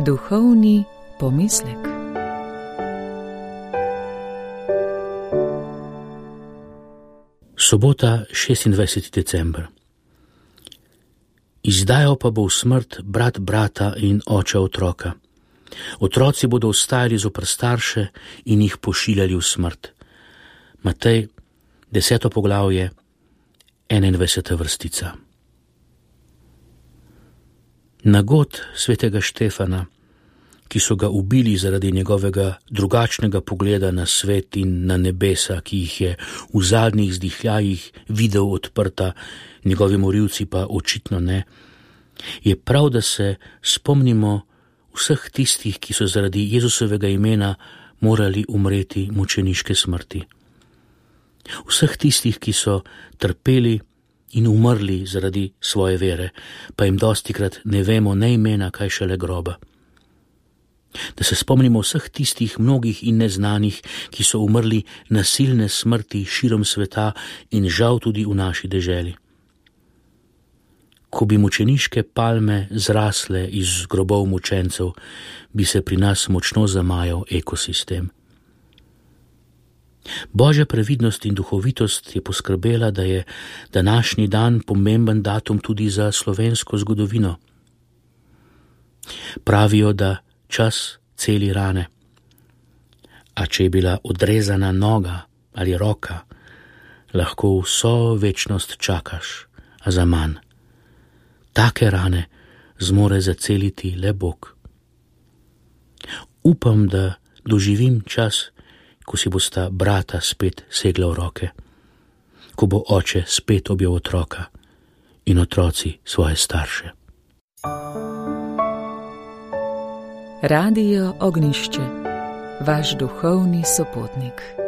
Duhovni pomislek. Sobota, 26. december. Izdajal pa bo v smrt brat brata in oče otroka. Otroci bodo ostajali zoper starše in jih pošiljali v smrt. Matej, 10. poglavje, 21. vrstica. Nagod svetega Štefana, ki so ga ubili zaradi njegovega drugačnega pogleda na svet in na nebesa, ki jih je v zadnjih zdihljajih videl odprta, njegovi morilci pa očitno ne, je prav, da se spomnimo vseh tistih, ki so zaradi Jezusovega imena morali umreti mučeniške smrti. Vseh tistih, ki so trpeli in umrli zaradi svoje vere, pa jim dostikrat ne vemo ne imena, kaj šele groba. Da se spomnimo vseh tistih mnogih in neznanih, ki so umrli nasilne smrti širom sveta in žal tudi v naši deželi. Ko bi mučeniške palme zrasle iz grobov mučencev, bi se pri nas močno zamajal ekosistem. Božja previdnost in duhovitost je poskrbela, da je današnji dan pomemben datum tudi za slovensko zgodovino. Pravijo, da čas celi rane. A če je bila odrezana noga ali roka, lahko vso večnost čakaš, a za manj. Take rane zmore zaceliti le Bog. Upam, da doživim čas, ko si bosta brata spet segla v roke, ko bo oče spet objel otroka in otroci svoje starše. Radio Ognjišče, vaš duhovni sopotnik.